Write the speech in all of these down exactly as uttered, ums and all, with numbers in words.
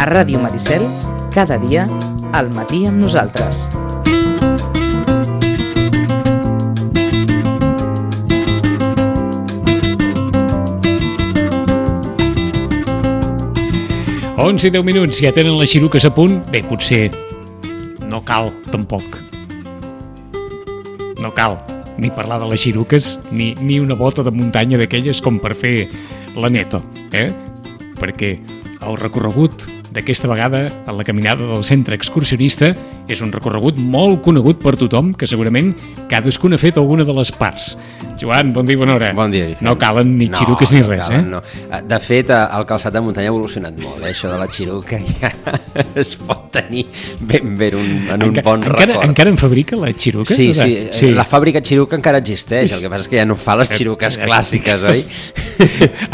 A Ràdio Maricel, cada dia, al matí amb nosaltres. onze i deu minuts, ja tenen les xiruques a punt? Bé, potser no cal, tampoc. No cal ni parlar de les xiruques, ni, ni una bota de muntanya d'aquelles com per fer la neta, eh? Perquè el recorregut d'aquesta vegada a la caminada del centre excursionista és un recorregut molt conegut per tothom, que segurament cadascun ha fet alguna de les parts. Joan, bon dia i bona hora. Bon dia, Vicent. No calen ni xiruques no, ni no res, calen, eh? No. De fet, el calçat de muntanya ha evolucionat molt, eh? Això de la xiruca ja es pot tenir ben bé un, en un Enca, bon encara, record. Encara en fabrica la xiruca? Sí, sí, sí, la fàbrica xiruca encara existeix, el que passa és que ja no fa les xiruques clàssiques, oi?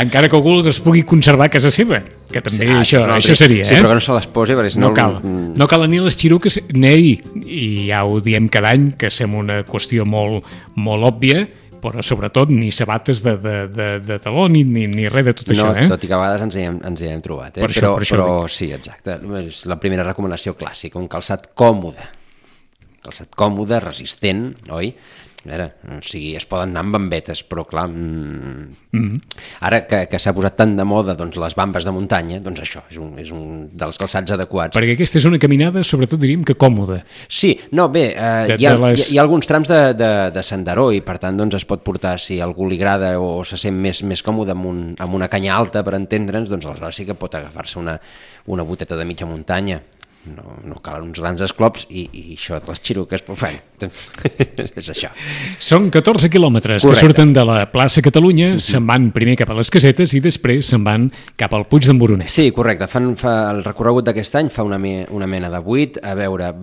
Encara que algú es pugui conservar a casa seva, que també sí, això, no, això seria, sí, eh? però que no se les posi, perquè si no... No cal, no calen ni les xiruques, ni, i ja ho diem cada any, que sembla una qüestió molt, molt òbvia, però sobretot ni sabates de, de, de, de taló ni, ni, ni res de tot no, això, eh? Tot i que a vegades ens hi hem, ens hi hem trobat, eh? Per això, però, per això però sí, exacte, és la primera recomanació clàssica, un calçat còmode, calçat còmode, resistent, oi? A veure, o sigui, es poden anar amb bambetes, però clar, mm, mm-hmm. ara que, que s'ha posat tant de moda doncs, les bambes de muntanya, doncs això és un, és un dels calçats adequats. Perquè aquesta és una caminada, sobretot diríem que còmoda. Sí, no, bé, eh, de, hi, ha, les... hi ha alguns trams de, de, de senderó i per tant doncs, es pot portar, si a algú li agrada o se sent més, més còmode amb, un, amb una canya alta per entendre'ns, doncs aleshores sí que pot agafar-se una, una boteta de mitja muntanya. No, no calen uns grans esclops i, i això de les xiruques, però bueno, és això. Són catorze quilòmetres Correcte. Que surten de la plaça Catalunya, mm-hmm. se'n van primer cap a les Casetes i després se'n van cap al Puig d'en Boronat. Sí, correcte. Fan, fa el recorregut d'aquest any fa una, me, una mena de buit, a veure,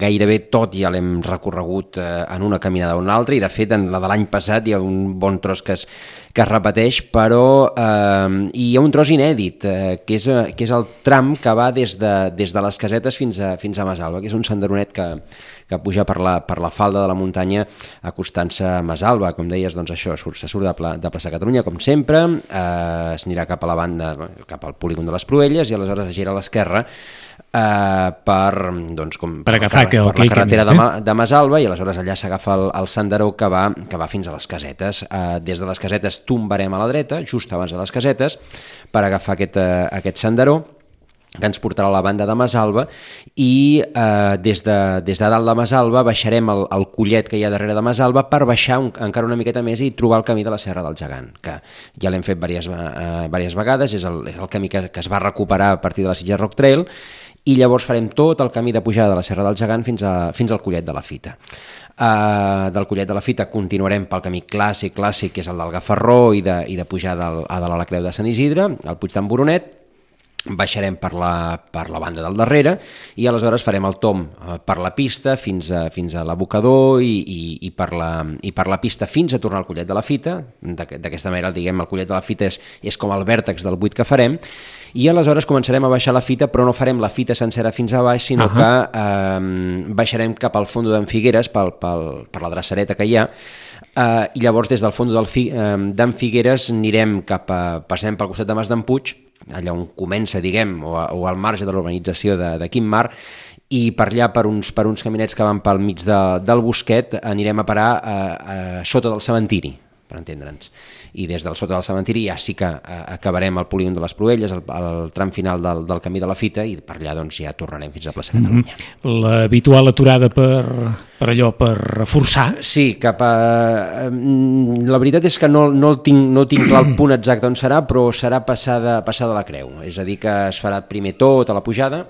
gairebé tot ja l'hem recorregut eh, en una caminada o una altra, i de fet en la de l'any passat hi ha un bon tros que es, que es repeteix, però eh, hi ha un tros inèdit, eh, que, és, que és el tram que va des de, des de les Casetes fins a, fins a Masalba, que és un senderonet que, que puja per la, per la falda de la muntanya acostant-se a Masalba. Com deies, doncs això, surt, se surt de, pla, de plaça Catalunya, com sempre, eh, es anirà cap a la banda, cap al polígon de les Pruelles, i aleshores es gira a l'esquerra eh, per, doncs, com, per, per, agafar per, per la carretera camí, de, Ma, de Masalba, i aleshores allà s'agafa el, el senderó que va, que va fins a les Casetes. Eh, des de les Casetes tombarem a la dreta, just abans de les Casetes, per agafar aquest, eh, aquest senderó, que ens portarà a la banda de Masalba, i eh, des, de, des de dalt de Masalba baixarem el, el collet que hi ha darrere de Masalba per baixar un, encara una miqueta més i trobar el camí de la Serra del Gegant, que ja l'hem fet diverses, eh, diverses vegades, és el, és el camí que, que es va recuperar a partir de la Sitges Rock Trail, i llavors farem tot el camí de pujada de la Serra del Gegant fins, a, fins al collet de la Fita. Uh, del collet de la Fita continuarem pel camí clàssic, clàssic, que és el del Gafarró i de, i de pujar del, a dalt a la Creu de Sant Isidre, al Puig d'en Boronat, baixarem per la, per la banda del darrere i aleshores farem el tom eh, per la pista fins a, fins a l'abocador i, i, i, per la, i per la pista fins a tornar al collet de la Fita. D'aquesta manera, diguem, el collet de la Fita és, és com el vèrtex del buit que farem, i aleshores començarem a baixar la Fita, però no farem la Fita sencera fins a baix, sinó uh-huh. que eh, baixarem cap al fons d'en Figueres pel, pel, per la drecereta que hi ha. Uh, i llavors des del fons d'en Fi, uh, Figueres anirem cap a, passem pel costat de Mas d'en Puig, allà on comença, diguem, o, a, o al marge de l'urbanització de, de Quim Mar, i per allà, per uns, per uns caminets que van pel mig de, del bosquet, anirem a parar a, a, a sota del cementiri, per entendre'ns. I des del sota del cementiri ja sí que eh, acabarem el polígon de les Pruelles, el, el tram final del, del camí de la Fita, i per allà doncs, ja tornarem fins a plaça Catalunya. Mm-hmm. L'habitual aturada per, per allò, per reforçar? Sí, cap a... La veritat és que no, no, tinc, no tinc clar el punt exacte on serà, però serà passada, passada la Creu. És a dir, que es farà primer tot a la pujada,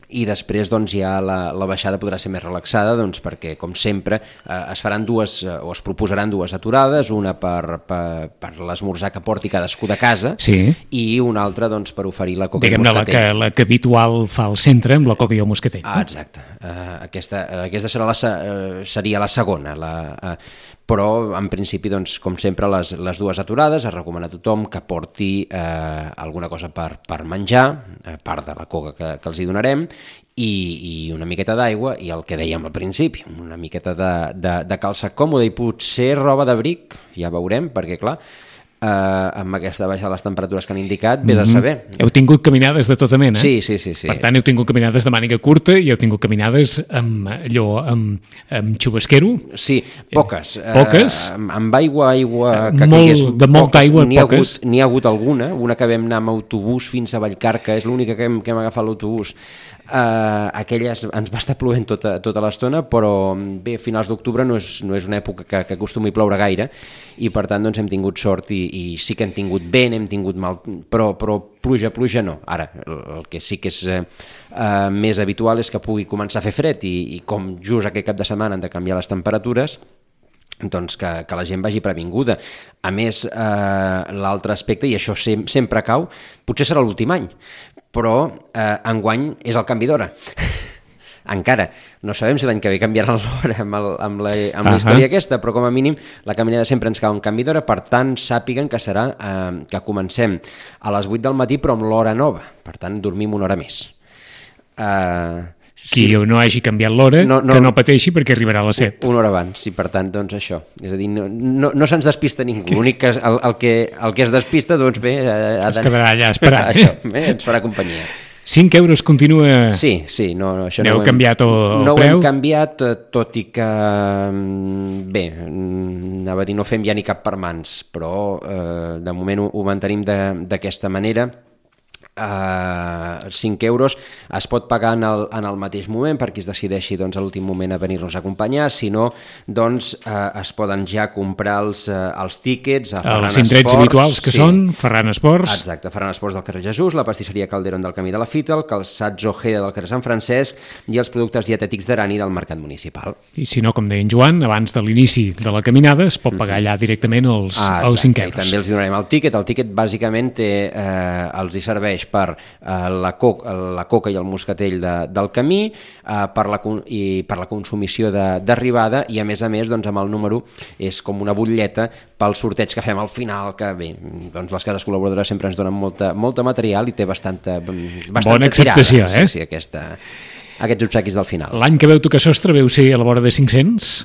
i després doncs, ja la, la baixada podrà ser més relaxada, doncs, perquè, com sempre, eh, es faran dues, eh, o es proposaran dues aturades, una per, per, per l'esmorzar que porti cadascú de casa, sí. i una altra doncs, per oferir la coca Diguem-ne, i el moscatell. La que, la que habitual fa al centre, amb la coca i el moscatell. Ah, exacte. Uh, aquesta aquesta serà la, uh, seria la segona, la, uh, però en principi, doncs, com sempre, les, les dues aturades es recomana a tothom que porti eh, alguna cosa per, per menjar, a part de la coca que, que els hi donarem, i, i una miqueta d'aigua, i el que dèiem al principi, una miqueta de, de, de calça còmode i potser roba d'abric, ja veurem, perquè clar, eh, amb aquesta baixa de les temperatures que han indicat, ve de saber. Mm-hmm. Heu tingut caminades de tota mena. Sí, sí, sí, sí. Per tant, heu tingut caminades de màniga curta i heu tingut caminades amb allò, amb, amb xubasquero. Sí, poques. Poques? Eh, amb aigua, aigua... Que Molt, caigués, de molta poques, aigua, n'hi ha poques. N'hi ha hagut alguna, una que vam anar amb autobús fins a Vallcarca, és l'única que hem, que hem agafat l'autobús. Uh, aquella ens va estar plovent tota, tota l'estona, però bé, a finals d'octubre no és, no és una època que, que acostumi a ploure gaire i per tant doncs, hem tingut sort i, i sí que hem tingut vent, hem tingut mal, però, però pluja, pluja no. Ara, el, el que sí que és uh, uh, més habitual és que pugui començar a fer fred i, i com just aquest cap de setmana han de canviar les temperatures, doncs que, que la gent vagi previnguda. A més, eh, l'altre aspecte, i això sem sempre cau, potser serà l'últim any, però eh, enguany és el canvi d'hora. Encara. No sabem si l'any que ve canviaran l'hora amb, el, amb, la, amb la història aquesta, però com a mínim la caminada sempre ens cau un canvi d'hora, per tant sàpiguen que serà eh, que comencem a les vuit del matí però amb l'hora nova, per tant dormim una hora més. Eh... Qui sí. no hagi canviat l'hora, no, no, que no pateixi perquè arribarà a les set. Una hora abans, i per tant, doncs això. És a dir, no, no, no se'ns despista ningú. L'únic que el, el, que el que es despista, doncs bé... Ha es quedarà allà esperant. Això, bé, ens farà companyia. cinc euros continua... Sí, sí. No, no, això N'heu no ho hem, canviat el, el no preu? No ho hem canviat, tot i que... Bé, anava a dir, no fem ja ni cap per mans, però eh, de moment ho, ho mantenim d'aquesta manera. Uh, cinc euros es pot pagar en el, en el mateix moment per qui es decideixi doncs, a l'últim moment a venir-nos a acompanyar, si no doncs, uh, es poden ja comprar els, uh, els tíquets a Ferran els indrets Esports, habituals que sí. són Ferran Esports. Exacte, Ferran Esports del carrer Jesús, la pastisseria Calderón del Camí de la Fita, el calçats Ojeda del carrer Sant Francesc i els productes dietètics d'Arani del Mercat Municipal. I si no, com deia en Joan, abans de l'inici de la caminada es pot pagar allà directament els, ah, els cinc euros. I també els donarem el tíquet. El tíquet bàsicament té, eh, els hi serveix per eh, la, co la coca i el moscatell de, del camí, eh, per, la, i per la consumició d'arribada i a més a més doncs, amb el número és com una butlleta pel sorteig que fem al final, que bé, doncs les cases col·laboradores sempre ens donen molta, molta material i té bastanta, bastanta bona acceptació, tirada, eh? Sí, sí, aquesta, aquests obsequis del final. L'any que veu tocar sostre veu ser a la vora de cinc-cents?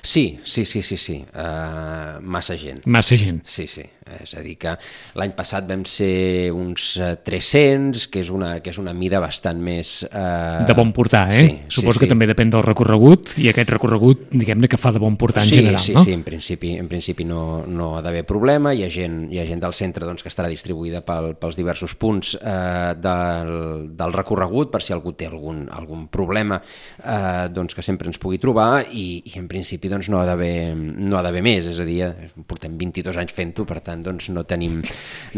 Sí, sí, sí, sí, sí. Uh, massa gent. Massa gent. Sí, sí. És a dir que l'any passat vam ser uns tres-cents, que és una, que és una mida bastant més... Uh... De bon portar, eh? Sí, Suposo sí, que sí. també depèn del recorregut, i aquest recorregut, diguem-ne, que fa de bon portar en sí, general, sí, no? Sí, en principi, en principi no, no ha d'haver problema. Hi ha gent, hi ha gent del centre doncs, que estarà distribuïda pel, pels diversos punts eh, del, del recorregut, per si algú té algun, algun problema, eh, doncs que sempre ens pugui trobar, i, i en principi doncs, no ha d'haver no ha d'haver més, és a dir, portem vint-i-dos anys fent-ho, per tant doncs, no tenim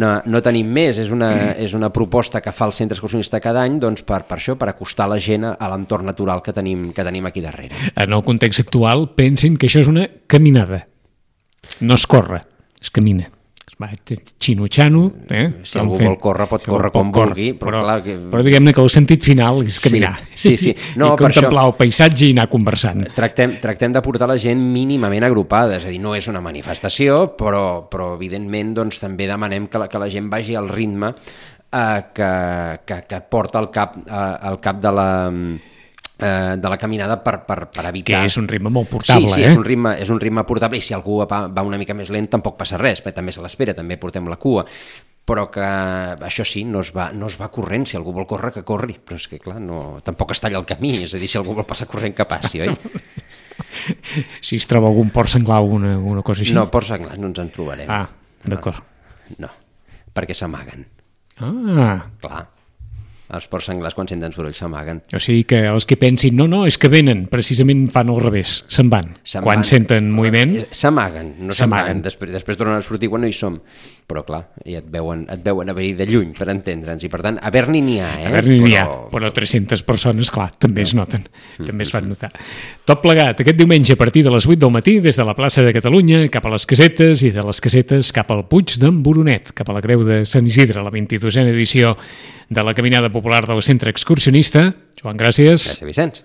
No, no tenim més, és una, és una proposta que fa el centre excursionista cada any doncs per, per això, per acostar la gent a l'entorn natural que tenim, que tenim aquí darrere. En el context actual, pensin que això és una caminada. No es corre, es camina. Va, xino-xano, eh? Si algú vol córrer, pot córrer com vulgui, però, però, clar... Que... però diguem-ne que el sentit final és caminar. Sí, sí, sí. No, i contemplar això, el paisatge i anar conversant. Tractem, tractem de portar la gent mínimament agrupada, és a dir, no és una manifestació, però, però evidentment doncs, també demanem que la, que la gent vagi al ritme eh, que, que, que porta al cap, eh, al cap de la... de la caminada per, per, per evitar... Que és un ritme molt portable, sí, sí, eh? és un ritme, és un ritme portable, i si algú va, va una mica més lent tampoc passa res, perquè també se l'espera, també portem la cua, però que això sí, no es, va, no es va corrent, si algú vol córrer, que corri, però és que clar, no, tampoc es talla el camí, és a dir, si algú vol passar corrent, que passi, oi? Si es troba algun port senglar o una, una cosa així? No, ports senglars no ens en trobarem. Ah, d'acord. No, no, perquè s'amaguen. Ah, clar. Els porcs senglars, quan senten soroll, s'amaguen. O sigui que els que pensin, no, no, és que venen, precisament fan al revés, se'n van. Quan van. Senten moviment... S'amaguen, no se'n van. Després, després tornen a sortir quan no hi som. Però clar, ja et veuen, et veuen a venir de lluny, per entendre'ns. I per tant, a Berni n'hi ha, eh? A Berni n'hi ha, però... però tres-centes persones, clar, també es noten, mm-hmm. també es fan notar. Tot plegat, aquest diumenge a partir de les vuit del matí, des de la plaça de Catalunya cap a les Casetes, i de les Casetes cap al Puig d'en Boronet, cap a la Creu de Sant Isidre, la vint-i-dosena edició de la Caminada Popular del Centre Excursionista. Joan, gràcies. Gràcies, Vicenç.